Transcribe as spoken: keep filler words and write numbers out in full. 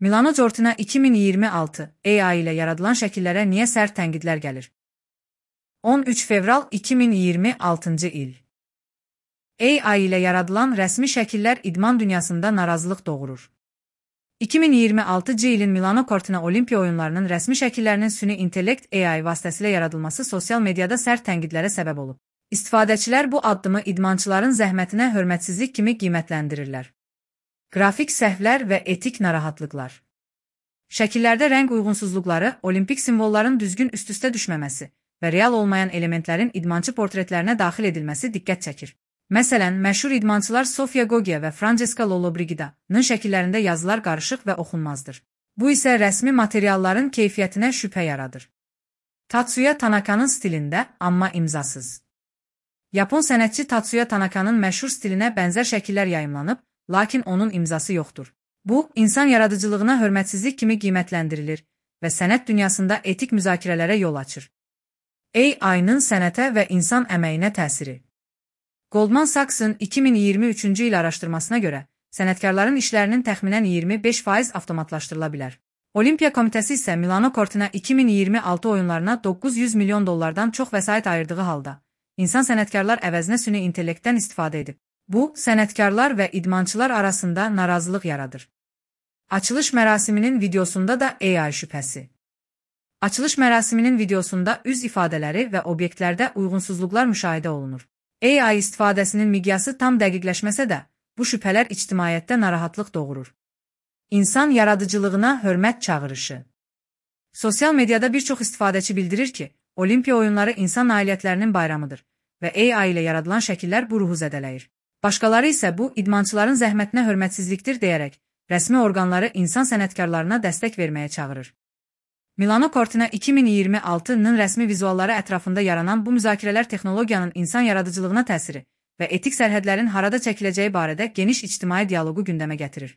Milano Cortina iki min iyirmi altı A I ilə yaradılan şəkillərə niyə sərt tənqidlər gəlir? on üç fevral iki min iyirmi altıncı il. A I ilə yaradılan rəsmi şəkillər idman dünyasında narazılıq doğurur. iki min iyirmi altıncı ilin Milano Cortina Olimpiya oyunlarının rəsmi şəkillərinin süni intellekt A I vasitəsilə yaradılması sosial mediada sərt tənqidlərə səbəb olub. İstifadəçilər bu addımı idmançıların zəhmətinə hörmətsizlik kimi qiymətləndirirlər. Qrafik səhvlər və etik narahatlıqlar. Şəkillərdə rəng uyğunsuzluqları, olimpik simvolların düzgün üst-üstə düşməməsi və real olmayan elementlərin idmançı portretlərinə daxil edilməsi diqqət çəkir. Məsələn, məşhur idmançılar Sofia Goggia və Francesca Lollobrigida'nın şəkillərində yazılar qarışıq və oxunmazdır. Bu isə rəsmi materialların keyfiyyətinə şübhə yaradır. Tatsuya Tanaka'nın stilində, amma imzasız. Yapon sənətçi Tatsuya Tanaka'nın məşhur stilinə bənzər şəkillər yayımlanıb, lakin onun imzası yoxdur. Bu, insan yaradıcılığına hörmətsizlik kimi qiymətləndirilir və sənət dünyasında etik müzakirələrə yol açır. A I-nın sənətə və insan əməyinə təsiri. Goldman Sachs'ın iki min iyirmi üçüncü il araşdırmasına görə, sənətkarların işlərinin təxminən iyirmi beş faiz avtomatlaşdırıla bilər. Olimpiya Komitəsi isə Milano Cortina iki min iyirmi altı oyunlarına doqquz yüz milyon dollardan çox vəsait ayırdığı halda, insan sənətkarlar əvəzinə süni intellektdən istifadə edib. Bu, sənətkarlar və idmançılar arasında narazılıq yaradır. Açılış mərasiminin videosunda da A I şübhəsi. Açılış mərasiminin videosunda üz ifadələri və obyektlərdə uyğunsuzluqlar müşahidə olunur. A I istifadəsinin miqyası tam dəqiqləşməsə də, bu şübhələr ictimaiyyətdə narahatlıq doğurur. İnsan yaradıcılığına hörmət çağırışı. Sosial mediada bir çox istifadəçi bildirir ki, Olimpiya oyunları insan nailiyyətlərinin bayramıdır və A I ilə yaradılan şəkillər bu ruhu zədələyir. Başqaları isə bu, idmançıların zəhmətinə hörmətsizlikdir deyərək, rəsmi orqanları insan sənətkarlarına dəstək verməyə çağırır. Milano Cortina iki min iyirmi altının rəsmi vizualları ətrafında yaranan bu müzakirələr texnologiyanın insan yaradıcılığına təsiri və etik sərhədlərin harada çəkiləcəyi barədə geniş ictimai dialoqu gündəmə gətirir.